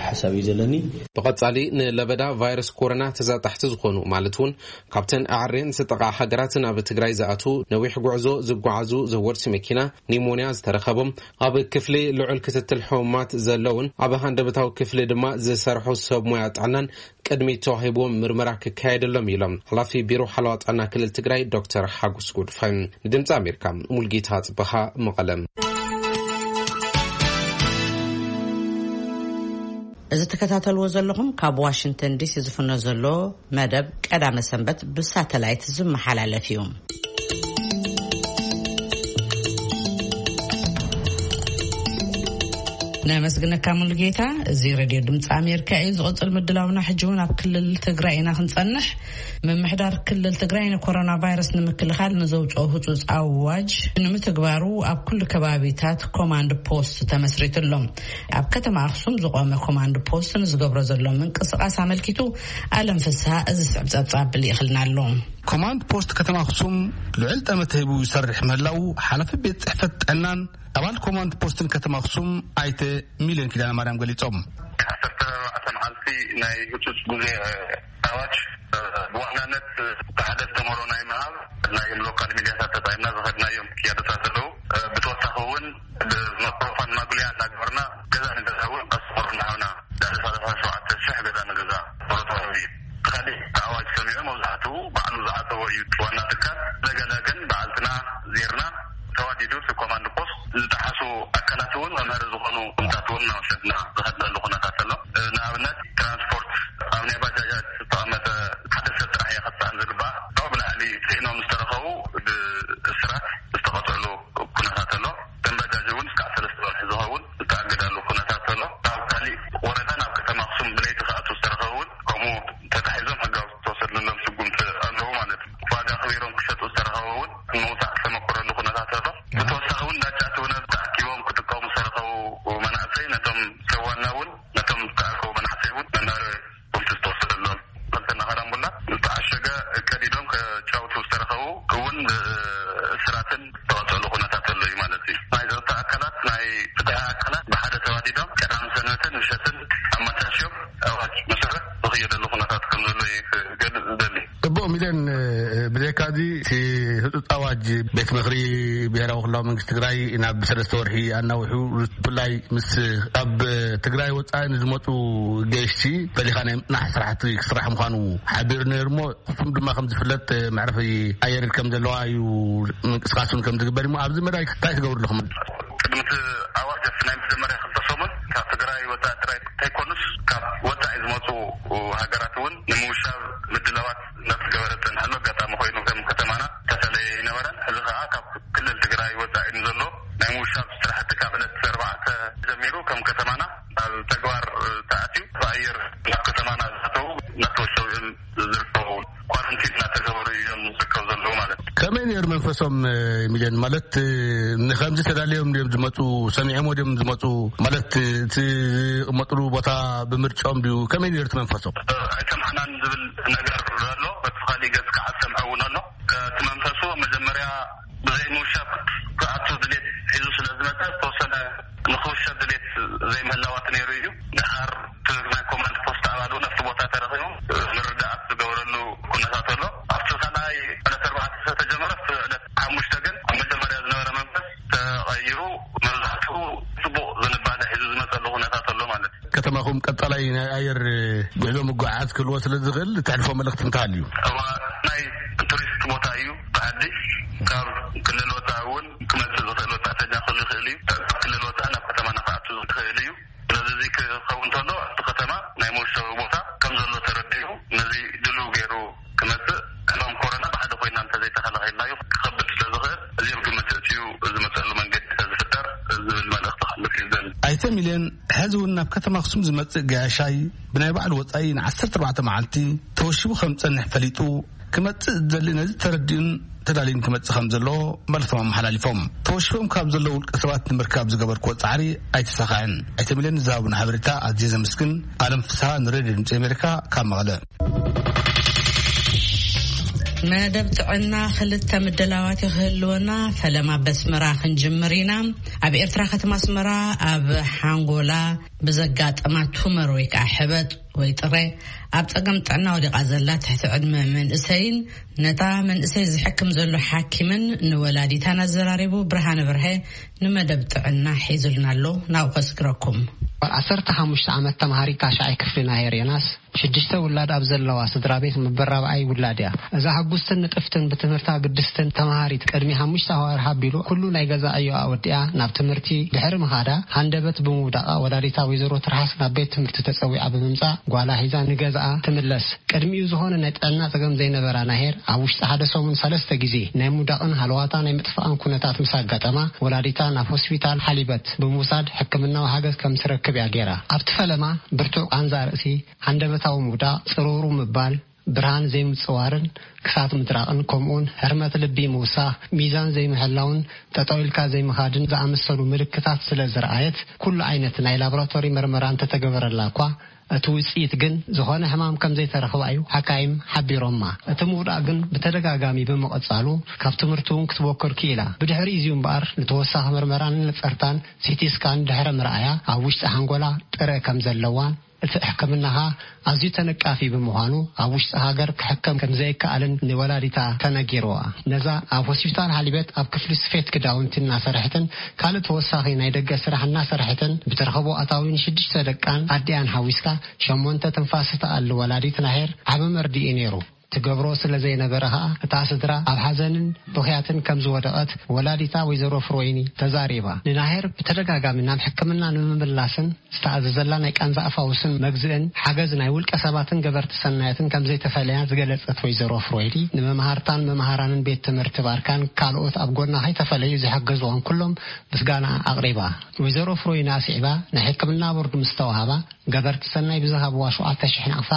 ሓሳብ እዩ ዘለኒ። ብቐጻሊ ንለበዳ ቫይረስ ኮሮና ተዛጣሕቲ ዝኾኑ፣ ማለት እውን ካብተን ኣዕሬን ዝተጠቓ ሃገራት ናብ ትግራይ ዝኣትዉ፣ ነዊሕ ጉዕዞ ዝጓዓዙ፣ ዘወርቲ መኪና፣ ኒሞንያ ዝተረኸቦም፣ ኣብ ክፍሊ ልዑል ክትትል ሕሙማት ዘለውን ኣብ ሃንደበታዊ ክፍሊ ድማ ዝሰርሑ ሰብ ሞያ ጥዕናን ቅድሚት ተዋሂብዎም ምርመራ ክካየደሎም ኢሎም ሓላፊ ቢሮ ሓለዋ ጥዕና ክልል ትግራይ ዶክተር ሓጎስ ጎድፋይ። ንድምፂ ኣሜሪካ ሙልጌታ ጽበኻ፣ መቐለም። እዚ ትከታተልዎ ዘለኹም ካብ ዋሽንግተን ዲሲ ዝፍኖ ዘሎ መደብ ቀዳመ ሰንበት ብሳተላይት ዝመሓላለፍ እዩ። ነመስግነካ ሙሉጌታ። እዚ ሬድዮ ድምፂ ኣሜሪካ እዩ። ዝቕፅል ምድላውና ሕጂ እውን ኣብ ክልል ትግራይ ኢና ክንፀንሕ። ምምሕዳር ክልል ትግራይ ንኮሮና ቫይረስ ንምክልኻል ንዘውፅኦ ህፁፅ ኣዋጅ ንምትግባሩ ኣብ ኩሉ ከባቢታት ኮማንድ ፖስት ተመስሪቱ ኣሎ። ኣብ ከተማ ኣኽሱም ዝቖመ ኮማንድ ፖስት ንዝገብሮ ዘሎ ምንቅስቓስ ኣመልኪቱ ኣለም ፍስሃ እዚ ስዕብ ጸብጻብ ልኢኽልና ኣሎ። ኮማንድ ፖስት ከተማ ኣኽሱም ልዑል ጠመተ ሂቡ ይሰርሕ ምህላው ሓላፊ ቤት ጽሕፈት ጥዕናን ኣባል ኮማንድ ፖስትን ከተማ ኣኽሱም ኣይተ ሚልዮን ኪዳነ ማርያም ገሊጾም። ዓሰርተ ኣርባዕተ መዓልቲ ናይ ህጹጽ ግዜ ኣዋጅ፣ ብዋናነት ሓደ ኣስተምህሮ ናይ ምሃብ ናይ ሎካል ሚድያታት ተጠቒምና ዝኸድናዮም ክያዶታት ኣለዉ። ብተወሳኺ እውን ብማይክሮፎን ማጉልያ እናገበርና ገዛ ንገዛ እውን ኣስተምህሮ እናሃብና ልዕሊ ሰላሳ ሸውዓተ ሽሕ ገዛ ንገዛ ኣስተምህሮ ተዋሂቡ እዩ። እቲ ካሊእ ኣዋጅ ሰሚዑ መብዛሕትኡ ባዕሉ ዝዓጸዎ እዩ እቲ ዋና ትካል። ለገለ ግን በዓልትና ዜርና ተዋዲዱ እቲ ኮማንድ ፖስት ዝጠሓሱ ኣካላት እውን መምሃሪ ዝኾኑ ኩነታት እውን እናወሰድና ዝኸድናሉ ኩነታት ኣሎ። ንኣብነት ትራንስፖርት ኣብ ናይ ባጃጃት ዝተቐመጠ ሓደ ሰብ ጥራሕ እያ ክትፀዓን ዝግባኣ። ካብኡ ብላዕሊ ፅዒኖም ዝተረኸቡ ብእስራት ዝተቐፅዕሉ ኩነታት ኣሎ። እተን ባጃጅ እውን እስካዕ ሰለስተ ወርሒ ዝኸውን ዝተኣገዳሉ ኩነታት ኣሎ። ካብ ካሊእ ወረዳ ናብ ከተማ ኣኽሱም ብለይቲ ክኣትዉ ዝተረኸቡ እውን ከምኡ ተታሒዞም ሕጋዊ ዝተወሰድሎም ስጉምቲ ኣለዉ ማለት እዩ። ዋጋ ኣኽቢሮም ክሸጡ ዝተረኸቡ እውን ንምውፃእ ዝተመኮረሉ ኩነታት ኣሎ። ብተወሳኺ እውን ዳጫት እውን ተኣኪቦም ክጥቀሙ ዝተረኸቡ መናእሰይ ነቶም ሰብ ዋና እውን ነቶም ዝተኣከቡ ትግራይ ናብ ሰለስተ ወርሒ ኣናውሑ፣ ብፍላይ ምስ ካብ ትግራይ ወፃኢ ንዝመፁ ገየሽቲ ፈሊኻ ናይ ምፅናሕ ስራሕቲ ክስራሕ ምዃኑ ሓቢሩ ነይሩ። እሞ እሱም ድማ ከም ዝፍለጥ መዕረፊ ኣየር ከም ዘለዋ እዩ፣ ምንቅስቃስ እውን ከም ዝግበር እዩ። ኣብዚ መዳይ እንታይ ትገብሩ ኣለኹም? ቅድሚ እቲ ኣዋጅ ኣብቲ ናይ መጀመርያ ክልተ ሰሙን ካብ ትግራይ ወፃኢ ጥራይ እንተይኮኑስ ካብ ወፃኢ ዝመፁ ሃገራት እውን ንምውሻብ ምድላዋት እናተገበረ ዝፀንሐሉ ኣጋጣሚ ኮይኑ፣ ከም ከተማና ዝተፈለየ ኣይነበረን። እዚ ከዓ ካብ ክልል ትግራይ ወፃኢ ንዘሎ ናይ ምውሻብ ስራሕቲ ካብ ዕለት ኣርባዕተ ጀሚሩ ከም ከተማና ኣብ ተግባር ተኣትዩ፣ ብኣየር ናብ ከተማና ዝኣተዉ እናተወሸቡ እዮም ዝርከቡ። ኳረንቲን እናተገበሩ እዮም ዝርከቡ ዘለዉ ማለት እዩ። ከመይ ነይሩ መንፈሶም፣ ሚልዮን? ማለት ንከምዚ ተዳልዮም ድዮም ዝመፁ? ሰሚዖም ድዮም ዝመፁ? ማለት እቲ ዝቕመጥሉ ቦታ ብምርጫኦም ድዩ? ከመይ ነይሩ እቲ መንፈሶም? ኣይሰማዕናን ዝብል ነገር ኣሎ። በቲ ካሊእ ገፅ ከዓ ዝሰምዐ እውን ኣሎ። እቲ መንፈሱ መጀመርያ ብዘይ ምውሻብ ክኣቱ ድሌት ሒዙ ስለ ዝመፀ፣ ዝተወሰነ ንክውሸብ ድሌት ዘይምህላዋት ነይሩ እዩ። ድሓር እቲ ናይ ኮማንድ ፖስት ኣባል እውን ኣብቲ ቦታ ተረኺቡ ምርዳኣት ዝገበረሉ ኩነታት ኣሎ። ኣብቲ ካልኣይ ዕለት ኣርባዕተ ዝተጀመረ፣ ኣብቲ ዕለት ሓሙሽተ ግን ኣብ መጀመርያ ዝነበረ መንፈስ ተቐይሩ፣ መብዛሕትኡ ፅቡቕ ዝንባለ ሒዙ ዝመፀሉ ኩነታት ኣሎ ማለት እዩ። ከተማኹም ቀጣላይ ናይ ኣየር ጉዕዞ ምጉዓዝ ክህልዎ ስለ ዝኽእል፣ እተሕልፎ መልእኽቲ እንተሃልዩ? እዋ፣ ናይ ቱሪስት ቦታ እዩ። ብዓዲ ካብ ክልል ወፃኢ እውን ክመፅእ ዝኽእል ወፃእተኛ ክህሉ ይኽእል እዩ። ካብ ክልል ወፃኢ ናብ ከተማና ክኣቱ ዝኽእል እዩ። ስለዚ እዚ ክኸውን እንተሎ ኣብቲ ከተማ ናይ መወሸቢ ቦታ ከም ዘሎ ተረዲኡ፣ ነዚ ድሉው ገይሩ ክመፅእ፣ ሕማም ኮሮና ብሓደ ኮይና እንተዘይተኸላኺልናዮ ክኸብድ ስለ ዝኽእል፣ እዚ ኣብ ግምት እትዩ ዝመፀሉ መንገዲ እንተዝፍጠር ዝብል መልእኽቲ ከሕልፍ እዩ ዝደሊ። ኣይተ ሚልዮን፣ ሕዚ እውን ናብ ከተማ ኣኽሱም ዝመጽእ ገያሻይ ብናይ ባዕሉ ወጻኢ ን ዓሰርተ ኣርባዕተ መዓልቲ ተወሺቡ ከም ዝጸንሕ ፈሊጡ፣ ክመጽእ ዝደሊ ነዚ ተረዲኡን ተዳልዩን ክመጽእ ከም ዘለዎ መልእኽቶም ኣመሓላሊፎም። ተወሺቦም ካብ ዘለዉ ውልቀ ሰባት ንምርካብ ዝገበርክዎ ጻዕሪ ኣይተሳኽዐን። ኣይተ ሚልዮን ንዝሃቡና ሓበሬታ ኣዝየ ዘመስግን። ኣለም ፍስሃ ንሬድዮ ድምጺ ኣሜሪካ ካብ መቐለ። መደብ ጥዕና ክልተ ምድላዋት ይህልወና። ፈለማ በስመራ ክንጅምር ኢና። ኣብ ኤርትራ ከተማ ኣስመራ ኣብ ሓንጎላ ብዘጋጠማ ቱመር ወይ ከዓ ሕበጥ ወይ ጥረ ኣብ ጸገም ጥዕና ወዲቓ ዘላ ትሕቲ ዕድመ መንእሰይን ነታ መንእሰይ ዝሕክም ዘሎ ሓኪምን ንወላዲታን ኣዘራሪቡ። ብርሃነ በርሀ ንመደብ ጥዕና ሒዙልና ኣሎ። ናብኡ ከስግረኩም። ዓሰርተ ሓሙሽተ ዓመት ተምሃሪት ታሽዓይ ክፍሊ ናሄር ዮናስ ሽዱሽተ ውላድ ኣብ ዘለዋ ስድራ ቤት መበል ራብዓይ ውላድ እያ። እዛ ሕጉስትን ንጥፍትን ብትምህርታ ግድስትን ተምሃሪት ቅድሚ ሓሙሽተ ኣዋርሕ ኣቢሉ ኩሉ ናይ ገዛ ዕዮኣ ወዲኣ ናብ ትምህርቲ ድሕሪ ምኻዳ ሃንደበት ብምውዳቓ ወላዲታ ወይዘሮ ትርሃስ ናብ ቤት ትምህርቲ ተጸዊዓ ብምምጻእ ጓላ ሒዛ ንገዛኣ ትምለስ። ቅድሚኡ ዝኾነ ናይ ጥዕና ጸገም ዘይነበራ ናሄር ኣብ ውሽጢ ሓደ ሰሙን ሰለስተ ግዜ ናይ ምውዳቕን ሃለዋታ ናይ ምጥፋእን ኩነታት ምስ ኣጋጠማ ወላዲታ ናብ ሆስፒታል ሓሊበት ብምውሳድ ሕክምናዊ ሓገዝ ከም ትረክብ እያ ገይራ። ኣብቲ ፈለማ ብርቱዕ ቃንዛ ርእሲ፣ ሃንደበታዊ ምውዳቕ፣ ጽርውሩ ምባል፣ ብርሃን ዘይምጽዋርን ክሳት ምድራቕን ከምኡውን ህርመት ልቢ ምውሳኽ፣ ሚዛን ዘይምሕላውን ጠጠው ኢልካ ዘይምኻድን ዝኣመሰሉ ምልክታት ስለ ዝረኣየት ኩሉ ዓይነት ናይ ላቦራቶሪ መርመራ እንተተገበረላ እኳ እቲ ውጽኢት ግን ዝኾነ ሕማም ከም ዘይተረኽባ እዩ ሓካይም ሓቢሮማ። እቲ ምውዳቕ ግን ብተደጋጋሚ ብምቕጻሉ ካብ ትምህርቲ እውን ክትቦክር ክኢላ። ብድሕሪ እዚ እምበኣር ንተወሳኺ መርመራን ንጸርታን ሲቲ ስካን ድሕሪ ምርኣያ ኣብ ውሽጢ ሓንጎላ ጥረ ከም ዘለዋን እቲ ሕክምና ኸኣ ኣዝዩ ተነቃፊ ብምዃኑ ኣብ ውሽጢ ሃገር ክሕከም ከም ዘይከኣልን ንወላዲታ ተነጊርዋ። ነዛ ኣብ ሆስፒታል ሓሊበት ኣብ ክፍሊ ስፌት ክዳውንቲ እናሰርሐትን ካልእ ተወሳኺ ናይ ደገ ስራሕ እናሰርሐትን ብትረኽቦ ኣታዊ ንሽዱሽተ ደቃን ኣዲኣን ሓዊስካ ሸሞንተ ትንፋስ እትኣሊ ወላዲት ናሄር ዓቢ መርድእ እዩ ነይሩ። ትገብሮ ስለ ዘይነበረ ኸኣ እታ ስድራ ኣብ ሓዘንን ብኽያትን ከም ዝወደቐት ወላዲታ ወይዘሮ ፍሮይኒ ተዛሪባ። ንናሄር ብተደጋጋሚ ናብ ሕክምና ንምምላስን ዝተኣዘዘላ ናይ ቃንዛ ኣፋውስን መግዝእን ሓገዝ ናይ ውልቀ ሰባትን ገበርቲ ሰናያትን ከም ዘይተፈለያ ዝገለጸት ወይዘሮ ፍሮይኒ፣ ንመምሃርታን መምሃራንን ቤት ትምህርቲ ባርካን ካልኦት ኣብ ጎና ከይተፈለዩ ዝሓገዝዋን ኩሎም ምስጋና ኣቕሪባ። ወይዘሮ ፍሮይኒ ኣስዒባ፣ ናይ ሕክምና ቦርድ ምስ ተዋህባ ገበርቲ ሰናይ ብዝሃብዋ ሸውዓተ ሽሕ ናቕፋ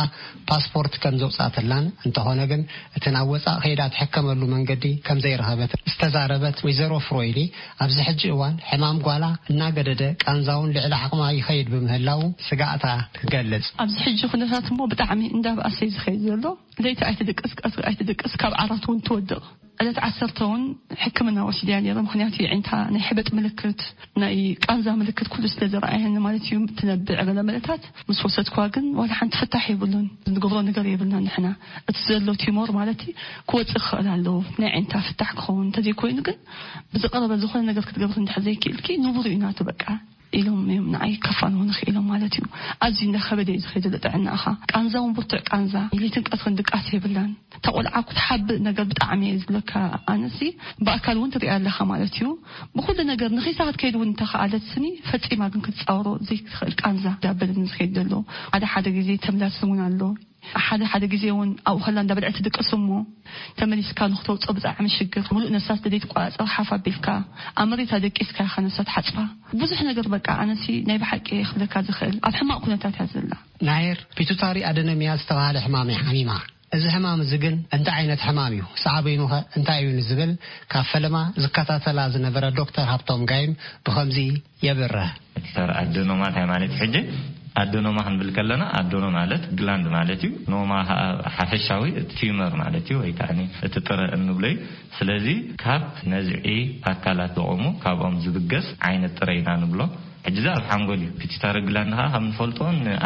ፓስፖርት ከም ዘውጻእትላን፣ እንተኾነ ግን እቲ ናብ ወጻእ ከይዳ ትሕከመሉ መንገዲ ከም ዘይረኸበት ዝተዛረበት ወይዘሮ ፍሮይኒ፣ ኣብዚ ሕጂ እዋን ሕማም ጓላ እናገደደ ቃንዛውን ልዕሊ ዓቕማ ይኸይድ ብምህላው ስጋእታ ትገልጽ። ኣብዚ ሕጂ ኩነታት እሞ ብጣዕሚ እንዳብኣሰ እዩ ዝኸይድ ዘሎ። ለይቲ ኣይትድቅስ፣ ቀትሪ ኣይትድቅስ፣ ካብ ዓራት እውን ትወድቕ። ዕለት ዓሰርተ እውን ሕክምና ወሲድያ ነይረ። ምኽንያቱ የዒንታ ናይ ሕበጥ ምልክት፣ ናይ ቃንዛ ምልክት ኩሉ ስለ ዝረኣየኒ ማለት እዩ። ትነብዕ ገለ መለታት ምስ ወሰድኳ ግን ዋላ ሓንቲ ፍታሕ የብሉን። ዝገብሮ ነገር የብልና ንሕና። እቲ ዘሎ ቲሞር ማለት እዩ ክወፅእ ክኽእል ኣለዎ። ናይ ዓይንታ ፍታሕ ክኸውን እንተዘይኮይኑ ግን ብዝቐረበ ዝኾነ ነገር ክትገብር እንድሕር ዘይክእልኪ ንቡር እዩ ናቱ በቃ ኢሎም እዮም ንዓይ ከፋንዎ ንኽኢሎም ማለት እዩ። ኣዝዩ እንዳኸበደ እዩ ዝኸይድ ዘሎ ጥዕናኻ። ቃንዛ እውን ብርቱዕ ቃንዛ፣ ሌትን ቀትርን ድቃስ የብላን። እታ ቆልዓ ክትሓብእ ነገር ብጣዕሚ እየ ዝብለካ። ኣነሲ ብኣካል እውን ትሪኣ ኣለኻ ማለት እዩ። ብኹሉ ነገር ንኺሳ ክትከይድ እውን እንተኸኣለት ስኒ ፈጺማ ግን ክትጻወሮ ዘይትኽእል ቃንዛ ዳበልን ዝኸይድ ዘሎ። ሓደ ሓደ ግዜ ተምላስን እውን ኣሎ። ሓደ ሓደ ግዜ እውን ኣብኡ ከላ እንዳበልዐት ትድቅስ እሞ ተመሊስካ ንክተውፅኦ ብጣዕሚ ሽግር። ሙሉእ ነፍሳ ስለ ዘይትቆፃፀር ሓፍ ኣቢልካ ኣብ መሬት ኣደቂስካ ኢኻ ነፍሳ ትሓፅባ። ብዙሕ ነገር በቃ ኣነሲ ናይ ብሓቂ ክብለካ ዝኽእል ኣብ ሕማቕ ኩነታት እያ ዘላ። ናሄር ፒቱታሪ ኣደነሚያ ዝተባህለ ሕማም እያ ሓሚማ። እዚ ሕማም እዚ ግን እንታይ ዓይነት ሕማም እዩ? ሳዕቤኑኸ እንታይ እዩ ንዝብል ካብ ፈለማ ዝከታተላ ዝነበረ ዶክተር ሃብቶም ጋይም ብኸምዚ የብርህ። ፒቱታሪ ኣደኖማ እንታይ ማለት እዩ? ሕጂ ኣደኖማ ክንብል ከለና ኣደኖ ማለት ግላንድ ማለት እዩ። ኖማ ከዓ ሓፈሻዊ እቲ ቲዩመር ማለት እዩ፣ ወይ ከዓ እቲ ጥረ እንብሎ እዩ። ስለዚ ካብ ነዝዒ ኣካላት ዝቖሙ ካብኦም ዝብገስ ዓይነት ጥረ ኢና ንብሎ። ሕጂ እዚ ኣብ ሓንጎል እዩ። ፒቱታሪ ግላንድ ከዓ ከም ንፈልጦ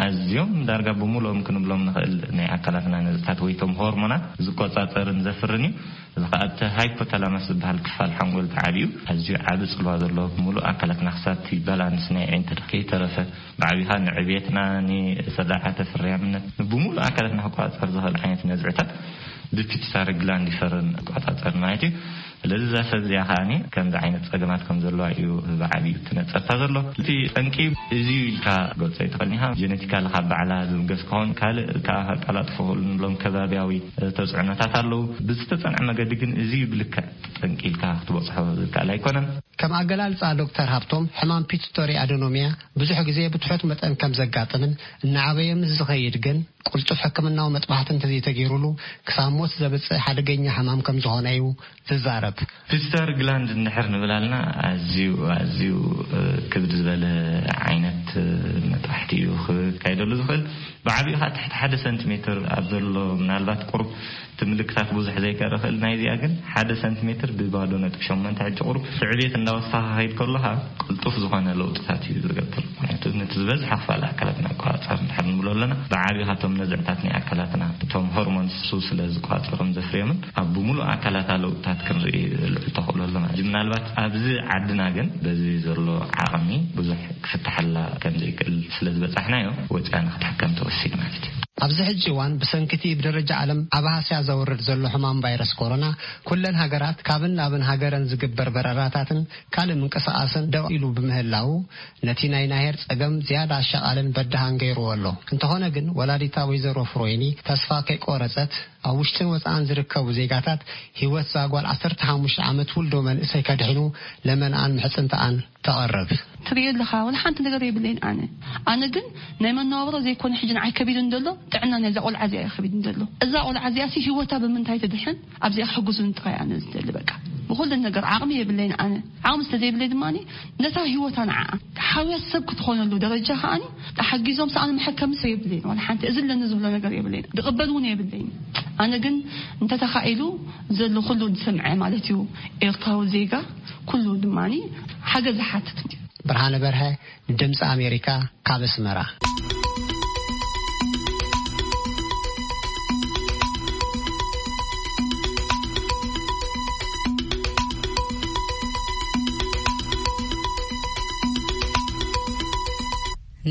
ኣዝዮም ዳርጋ ብምሉኦም ክንብሎም ንኽእል ናይ ኣካላትና ነዝዕታት ወይ ቶም ሆርሞናት ዝቆፃፀርን ዘፍርን እዩ። እዚ ከዓ እቲ ሃይፖታላማስ ዝበሃል ክፋል ሓንጎል ተዓብዩ ኣዝዩ ዓቢ ጽልዋ ዘለዎ ብምሉእ ኣካላትና ክሳብ እቲ ባላንስ ናይ ኣዒንትና ከይተረፈ ብዓቢኻ ንዕብየትና፣ ንስርዓተ ፍርያምነት፣ ንብምሉእ ኣካላትና ክቆጻጸር ዝኽእል ዓይነት ነዝዕታት ብፒቱታሪ ግላንድ ይፈርን ይቆጻጸር ማለት እዩ። ስለዚ እዛ ሰብ እዚኣ ከዓኒ ከምዚ ዓይነት ጸገማት ከም ዘለዋ እዩ ብዓቢኡ ትነጸርታ ዘሎ። እቲ ጠንቂ እዚ እዩ ኢልካ ገልጾ ኣይትኽእልን ኢኻ። ጀነቲካሊ ካብ ባዕላ ዝብገስ ክኸውን፣ ካልእ ከዓ ከቀላጥፎ ክኽእሉ ንብሎም ከባብያዊ ተጽዕኖታት ኣለዉ። ብዝተጸንዐ መገዲ ግን እዚ እዩ ብልክዕ ጠንቂ ኢልካ ክትበጽሖ ዝከኣል ኣይኮነን። ከም ኣገላልጻ ዶክተር ሃብቶም፣ ሕማም ፒቱቶሪ ኣደኖሚያ ብዙሕ ግዜ ብትሑት መጠን ከም ዘጋጥምን እናዓበየ ምስ ዝኸይድ ግን ቅልጡፍ ሕክምናዊ መጥባሕቲ እንተዘይተገይሩሉ ክሳብ ሞት ዘብጽእ ሓደገኛ ሕማም ከም ዝኾነ እዩ ዝዛረብ። ፒቱታሪ ግላንድ እንድሕር ንብል ኣልና ኣዝዩ፣ ኣዝዩ፣ እ፣ ክብድ ዝበለ ዓይነት፣ እ፣ መጥባሕቲ እዩ ክካየደሉ ዝኽእል። ብዓቢኡ ከዓ ትሕቲ ሓደ ሰንቲሜትር ኣብ ዘሎ፣ ምናልባት ቁሩብ እቲ ምልክታት ብዙሕ ዘይከርኢ ይኽእል። ናይዚኣ ግን ሓደ ሰንቲሜትር ብባዶ ነጥቢ ሸሞንተ፣ ሕጂ ቁሩብ ስዕቤት እንዳወሰኻ ከይድ ከለኻ ቅልጡፍ ዝኾነ ለውጥታት እዩ ዝገብር። ምክንያቱ ነቲ ዝበዝሐ ክፋል ኣካላትና ኣቆጻጸር እንድሕር ንብሎ ኣለና፣ ብዓቢ ካብቶም ነዝዕታት ናይ ኣካላትና እቶም ሆርሞንስ እሱ ስለ ዝቆጻጸሮም ዘፍርዮምን ኣብ ብምሉእ ኣካላታ ለውጥታት ክንርኢ ልዑል ተኽእሎ ኣሎ ማለት እዩ። ምናልባት ኣብዚ ዓድና ግን በዚ ዘሎ ዓቕሚ ብዙሕ ክፍትሓላ ከም ዘይክእል ስለ ዝበጻሕናዮ ወጺኣ ንክትሕከም ተወሲኑ ማለት እዩ። ኣብዚ ሕጂ እዋን ብሰንኪ እቲ ብደረጃ ዓለም ዓቢ ሃስያ ዘውርድ ዘሎ ሕማም ቫይረስ ኮሮና ኩለን ሃገራት ካብን ናብን ሃገረን ዝግበር በረራታትን ካልእ ምንቅስቓስን ደው ኢሉ ብምህላዉ ነቲ ናይ ናሄር ጸገም ዝያዳ ኣሻቓልን በዳሃን ገይርዎ ኣሎ። እንተኾነ ግን ወላዲታ ወይዘሮ ፍሮይኒ ተስፋ ከይቆረጸት ኣብ ውሽጥን ወጻእን ዝርከቡ ዜጋታት ህይወት እዛ ጓል ዓሰርተ ሓሙሽተ ዓመት ውልዶ መንእሰይ ከድሕኑ ለመንኣን ምሕጽንተኣን ተቐርብ። ትርእዮ ኣለኻ፣ ወላ ሓንቲ ነገር የብለይን ኣነ። ኣነ ግን ናይ መነባብሮ ዘይኮነ ሕጂ ንዓይ ከቢዱን ዘሎ፣ ጥዕና ናይዛ ቆልዓ እዚኣ እዩ ከቢዱን ዘሎ። እዛ ቆልዓ እዚኣ ሲ ህይወታ ብምንታይ ትድሕን? ኣብዚኣ ክሕግዙን ጥራይ ኣነ ዝደሊ በቃ። ብኹሉ ነገር ዓቕሚ የብለይን ኣነ። ዓቕሚ ስለ ዘይብለይ ድማ ነታ ህይወታ ንዓኣ ሓውያ ሰብ ክትኾነሉ ደረጃ ከኣኒ ተሓጊዞም ሰኣን መሐከሚ ሰብ የብለይን። ዋላ ሓንቲ እዚ ኣለኒ ዝብሎ ነገር የብለይን። ዝቕበል እውን የብለይን። ኣነ ግን እንተተኻኢሉ ዘሎ ኩሉ ዝሰምዐ ማለት እዩ ኤርትራዊ ዜጋ ኩሉ ድማ ሓገዝ ዝሓትት እዩ። ብርሃነ በርሀ፣ ድምፂ ኣሜሪካ፣ ካብ ኣስመራ።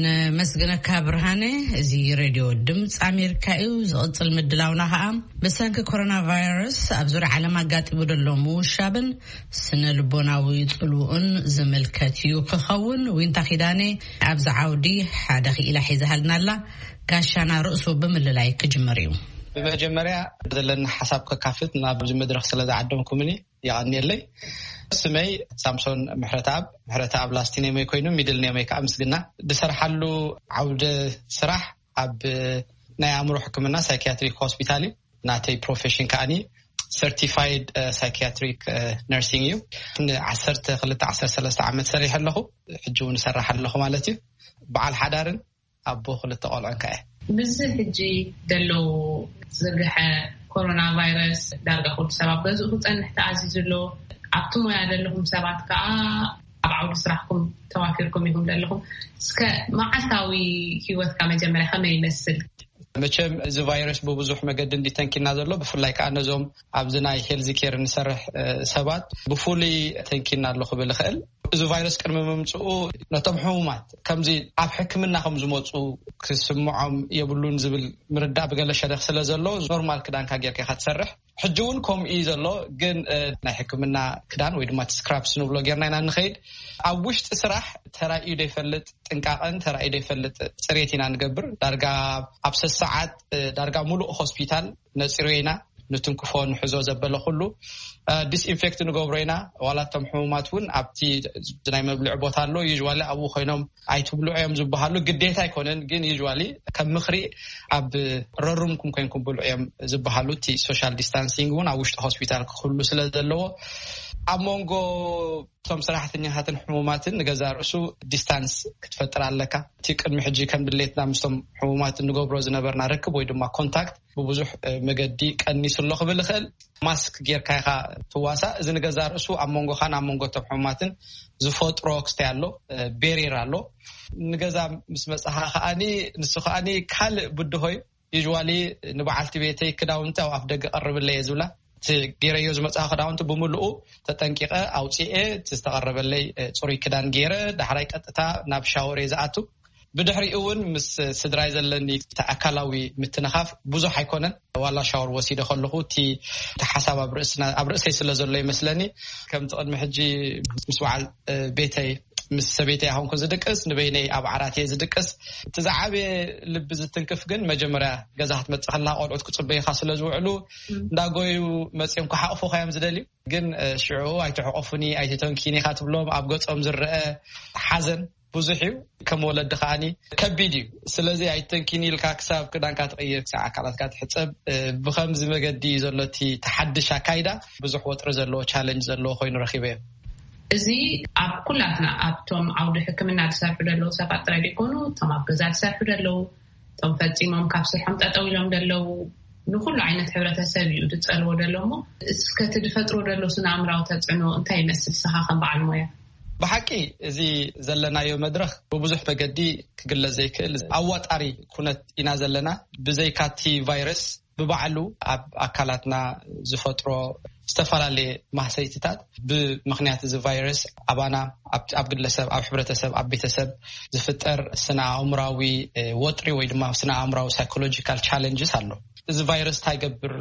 ነመስግነካ ብርሃነ። እዚ ሬድዮ ድምፂ ኣሜሪካ እዩ። ዝቕፅል ምድላውና ከዓ ብሰንኪ ኮሮና ቫይረስ ኣብ ዙርያ ዓለም ኣጋጢሙ ዘሎ ምውሻብን ስነ ልቦናዊ ጽልውኡን ዝምልከት እዩ ክኸውን። ዊንታ ኪዳነ ኣብዚ ዓውዲ ሓደ ክኢላ ሒዛሃልና ኣላ። ጋሻና ርእሱ ብምልላይ ክጅምር እዩ። ብመጀመርያ ዘለኒ ሓሳብ ከካፍት ናብዚ መድረኽ ስለ ዝዓደምኩምኒ የቐንየለይ። ስመይ ሳምሶን ምሕረተኣብ፣ ምሕረተኣብ ላስት ኔመይ ኮይኑ ሚድል ኔመይ ከዓ ምስግና። ዝሰርሓሉ ዓውደ ስራሕ ኣብ ናይ ኣእምሮ ሕክምና ሳይኪያትሪክ ሆስፒታል እዩ። ናተይ ፕሮፌሽን ከዓኒ ሰርቲፋይድ ሳይኪያትሪክ ነርሲንግ እዩ። ንዓሰርተ ክልተ ዓሰርተ ሰለስተ ዓመት ሰሪሐ ኣለኹ። ሕጂ እውን እሰርሕ ኣለኹ ማለት እዩ። በዓል ሓዳርን ኣቦ ክልተ ቆልዑን ከኣ እየ። ምስዚ ሕጂ ዘሎ ዝርግሐ ኮሮና ቫይረስ ዳርጋ ኩሉ ሰብ ኣብ ገዝኡ ክጸንሕ ተኣዚዙ ኣሎ። ኣብቲ ሞያ ዘለኹም ሰባት ከኣ ኣብ ዓውዲ ስራሕኩም ተዋፊርኩም ኢኹም ዘለኹም። እስከ መዓልታዊ ህይወትካ መጀመርያ ከመይ ይመስል? መቸም እዚ ቫይረስ ብብዙሕ መገዲ እንዲተንኪና ዘሎ፣ ብፍላይ ከዓ ነዞም ኣብዚ ናይ ሄልዚ ኬር እንሰርሕ ሰባት ብፍሉይ ተንኪና ኣሎ ክብል ይኽእል። እዚ ቫይረስ ቅድሚ ምምፅኡ ነቶም ሕሙማት ከምዚ ኣብ ሕክምና ከም ዝመፁ ክስምዖም የብሉን ዝብል ምርዳእ ብገለ ሸደኽ ስለ ዘሎ፣ ኖርማል ክዳንካ ጌርካ ኢኻ ትሰርሕ። ሕጂ እውን ከምኡ እዩ ዘሎ። ግን ናይ ሕክምና ክዳን ወይ ድማ ስክራፕስ ንብሎ ጌርና ኢና እንኸይድ። ኣብ ውሽጢ ስራሕ ተራእዩ ዘይፈልጥ ጥንቃቐን ተራእዩ ዘይፈልጥ ፅሬት ኢና ንገብር። ዳርጋ ኣብ ሰሰዓት ዳርጋ ሙሉእ ሆስፒታል ነፂሮ ኢና። ንትንክፎ ንሕዞ ዘበለ ኩሉ ዲስኢንፌክት ንገብሮ ኢና። ዋላ እቶም ሕሙማት እውን ኣብቲ ናይ መብልዒ ቦታ ኣሎ፣ ዩዋሊ ኣብኡ ኮይኖም ኣይትብልዑ እዮም ዝበሃሉ። ግዴታ ኣይኮነን፣ ግን ዩዋሊ ከም ምኽሪ ኣብ ረሩምኩም ኮይንኩም ብልዑ እዮም ዝበሃሉ። እቲ ሶሻል ዲስታንሲንግ እውን ኣብ ውሽጢ ሆስፒታል ክህሉ ስለ ዘለዎ ኣብ መንጎ እቶም ሰራሕተኛታትን ሕሙማትን ንገዛ ርእሱ ዲስታንስ ክትፈጥር ኣለካ። እቲ ቅድሚ ሕጂ ከም ድሌትና ምስቶም ሕሙማት እንገብሮ ዝነበርና ርክብ ወይ ድማ ኮንታክት ብብዙሕ መገዲ ቀኒሱ ኣሎ ክብል ይኽእል። ማስክ ጌርካ ኢኻ ትዋሳእ። እዚ ንገዛ ርእሱ ኣብ መንጎኻን ኣብ መንጎ እቶም ሕሙማትን ዝፈጥሮ ክስተይ ኣሎ፣ ቤሪር ኣሎ። ንገዛ ምስ መጻኻ ከኣኒ ንሱ ከኣኒ ካልእ ብድሆ እዩ። ዩዋሊ ንበዓልቲ ቤተይ ክዳውንቲ ኣብ ኣፍ ደገ ቀርብለይ እየ ዝብላ። እቲ ገይረዮ ዝመጽኣ ክዳውንቲ ብምልኡ ተጠንቂቐ ኣውፅኤ፣ እቲ ዝተቐረበለይ ፅሩይ ክዳን ገይረ ዳሕራይ ቀጥታ ናብ ሻወር እየ ዝኣቱ። ብድሕሪኡ እውን ምስ ስድራይ ዘለኒ እቲ ኣካላዊ ምትንኻፍ ብዙሕ ኣይኮነን። ዋላ ሻወር ወሲደ ከለኹ እቲ እቲ ሓሳብ ኣብ ርእስና ኣብ ርእሰይ ስለ ዘሎ ይመስለኒ። ከምቲ ቅድሚ ሕጂ ምስ በዓል ቤተይ ምስ ሰበይተይ ኣይኮንኩ ዝድቅስ፣ ንበይነይ ኣብ ዓራት እየ ዝድቅስ። እቲ ዝዓበየ ልቢ ዝትንክፍ ግን መጀመርያ ገዛ ክትመጽእ ከለኻ ቆልዑት ክጽበዩኻ ስለ ዝውዕሉ እንዳጎዩ መጽዮም ክሓቕፉኻ እዮም ዝደልዩ። ግን ሽዑ ኣይትሕቆፉኒ ኣይትተንኪኒ ኢኻ ትብሎም። ኣብ ገጾም ዝረአ ሓዘን ብዙሕ እዩ። ከም ወለዲ ከዓኒ ከቢድ እዩ። ስለዚ ኣይተንኪኒ ኢልካ ክሳብ ክዳንካ ትቕይር፣ ክሳብ ኣካላትካ ትሕጸብ፣ ብኸምዚ መገዲ እዩ ዘሎ እቲ ተሓድሽ ኣካይዳ። ብዙሕ ወጥሪ ዘለዎ ቻለንጅ ዘለዎ ኮይኑ ረኺበዮ። እዚ ኣብ ኩላትና ኣብቶም ዓውዲ ሕክምና ዝሰርሑ ዘለዉ ሰባት ጥራይ ዘይኮኑ እቶም ኣብ ገዛ ዝሰርሑ ዘለዉ እቶም ፈጺሞም ካብ ስርሖም ጠጠው ኢሎም ዘለዉ ንኩሉ ዓይነት ሕብረተሰብ እዩ ዝጸልዎ ዘሎ። እሞ እስከ እቲ ዝፈጥሮ ዘሎ ስነ ኣእምራዊ ተጽዕኖ እንታይ ይመስል ንስኻ ከም በዓል ሞያ? ብሓቂ እዚ ዘለናዮ መድረኽ ብብዙሕ መገዲ ክግለጽ ዘይክእል ኣዋጣሪ ኩነት ኢና ዘለና። ብዘይካቲ ቫይረስ ብባዕሉ ኣብ ኣካላትና ዝፈጥሮ ዝተፈላለየ ማህሰይትታት ብምኽንያት እዚ ቫይረስ ኣባና ኣብ ግለሰብ ኣብ ሕብረተሰብ ኣብ ቤተሰብ ዝፍጠር ስነ ኣእምራዊ ወጥሪ ወይ ድማ ስነ ኣእምራዊ ሳይኮሎጂካል ቻለንጅስ ኣሎ። እዚ ቫይረስ እንታይ ይገብር፣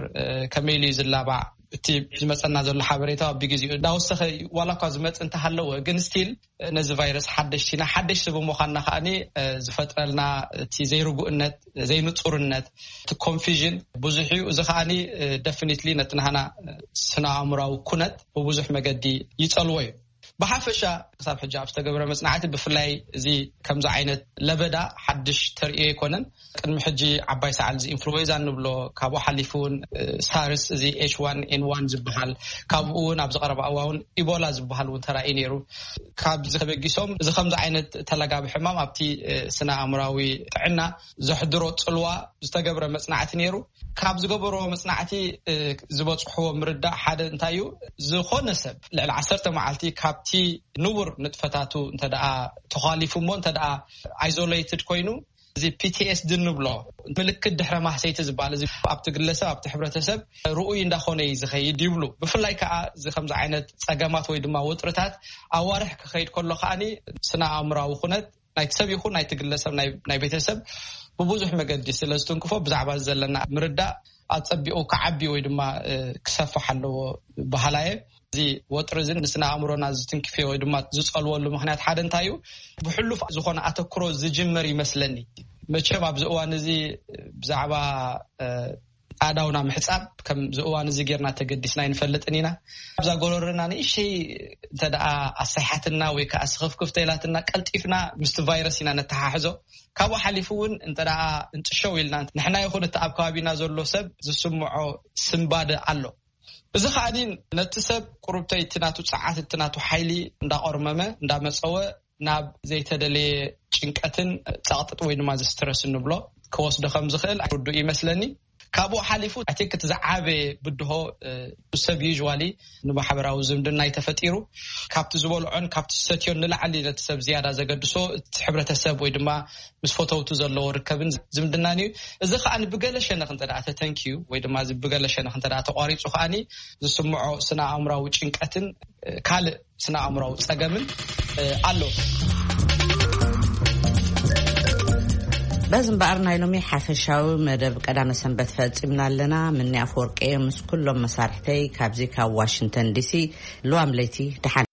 ከመይ ኢሉ እዩ ዝላባዕ፣ እቲ ዝመፀና ዘሎ ሓበሬታ ብግዜኡ እንዳወሰኸ ዋላ እኳ ዝመፅ እንተሃለወ ግን ስቲል ነዚ ቫይረስ ሓደሽቲ ኢና። ሓደሽቲ ብምዃንና ከዓኒ ዝፈጥረልና እቲ ዘይርጉእነት ዘይንፁርነት እቲ ኮንፊዥን ብዙሕ እዩ። እዚ ከዓኒ ደፊኒትሊ ነቲ ናህና ስነ ኣእምራዊ ኩነት ብብዙሕ መገዲ ይፀልዎ እዩ። ብሓፈሻ ክሳብ ሕጂ ኣብ ዝተገብረ መፅናዕቲ ብፍላይ እዚ ከምዚ ዓይነት ለበዳ ሓድሽ ተርእዮ ኣይኮነን። ቅድሚ ሕጂ ዓባይ ሰዓል እዚ ኢንፍሉዌንዛ እንብሎ ካብኡ ሓሊፉ እውን ሳርስ እዚ ኤች ዋን ኤን ዋን ዝበሃል ካብኡ እውን ኣብዚ ቀረባ እዋን እውን ኢቦላ ዝበሃል እውን ተራእዩ ነይሩ። ካብዚ ተበጊሶም እዚ ከምዚ ዓይነት ተለጋቢ ሕማም ኣብቲ ስነ ኣእምራዊ ጥዕና ዘሕድሮ ፅልዋ ዝተገብረ መፅናዕቲ ነይሩ። ካብ ዝገበርዎ መፅናዕቲ ዝበፅሕዎ ምርዳእ ሓደ እንታይ እዩ? ዝኾነ ሰብ ልዕሊ ዓሰርተ መዓልቲ ካብቲ ንቡር ንጥፈታቱ እንተ ደኣ ተዃሊፉ እሞ እንተ ደኣ ኣይዞሌትድ ኮይኑ እዚ ፒ ቲ ኤስ ዲ እንብሎ ምልክት ድሕረ ማህሰይቲ ዝበሃል እዚ ኣብቲ ግለሰብ ኣብቲ ሕብረተሰብ ርኡይ እንዳኾነ እዩ ዝኸይድ ይብሉ። ብፍላይ ከዓ እዚ ከምዚ ዓይነት ፀገማት ወይ ድማ ወጥርታት ኣዋርሕ ክኸይድ ከሎ ከዓኒ ስነ ኣእምራዊ ኩነት ናይቲ ሰብ ይኹን ናይቲ ግለሰብ ናይ ቤተሰብ ብብዙሕ መገዲ ስለ ዝትንክፎ ብዛዕባ ዘለና ምርዳእ ኣፀቢቑ ክዓቢ ወይ ድማ ክሰፍሕ ኣለዎ በሃላየ። እዚ ወጥሪ እዚ ንስነ ኣእምሮና ዝትንክፍዮ ወይ ድማ ዝፀልወሉ ምክንያት ሓደ እንታይ እዩ? ብሕሉፍ ዝኾነ ኣተክሮ ዝጅመር ይመስለኒ። መቸም ኣብዚ እዋን እዚ ብዛዕባ ኣእዳውና ምሕፃብ ከምዚ እዋን እዚ ጌርና ተገዲስና ኣይንፈልጥን ኢና። ኣብዛ ጎረርና ንእሽተይ እንተ ደኣ ኣሳይሓትና ወይ ከዓ ስኽፍክፍ ተኢላትና ቀልጢፍና ምስቲ ቫይረስ ኢና ነተሓሕዞ። ካብኡ ሓሊፉ እውን እንተ ደኣ እንጥሸው ኢልና ንሕና ይኹን እቲ ኣብ ከባቢና ዘሎ ሰብ ዝስምዖ ስንባደ ኣሎ። እዚ ከዓኒ ነቲ ሰብ ቁሩብተይ እቲ ናቱ ፀዓት እቲ ናቱ ሓይሊ እንዳቆርመመ እንዳመፀወ ናብ ዘይተደለየ ጭንቀትን ፀቕጥጥ ወይ ድማ ዝስትረስ እንብሎ ክወስዶ ከም ዝኽእል ርዱእ ይመስለኒ። ካብኡ ሓሊፉ ኣቴክት ዝዓበየ ብድሆ ሰብ ዩዋሊ ንማሕበራዊ ዝምድና ተፈጢሩ ካብቲ ዝበልዖን ካብቲ ዝሰትዮን ንላዕሊ ነቲ ሰብ ዝያዳ ዘገድሶ እቲ ሕብረተሰብ ወይ ድማ ምስ ፈተውቱ ዘለዎ ርከብን ዝምድናን እዩ። እዚ ከዓ ብገለ ሸነኽ እንተ ተተንኪዩ ወይ ድማ ብገለ ሸነኽ እንተ ተቋሪፁ ከዓኒ ዝስምዖ ስነ ኣእምራዊ ጭንቀትን ካልእ ስነ ኣእምራዊ ፀገምን ኣሎ። በዚ እምበኣር ናይ ሎሚ ሓፈሻዊ መደብ ቀዳመ ሰንበት ፈፂምና ኣለና። ምኒ ኣፈወርቂ ምስ ኩሎም መሳርሕተይ ካብዚ ካብ ዋሽንግተን ዲሲ። ልዋም ለይቲ ደሓን።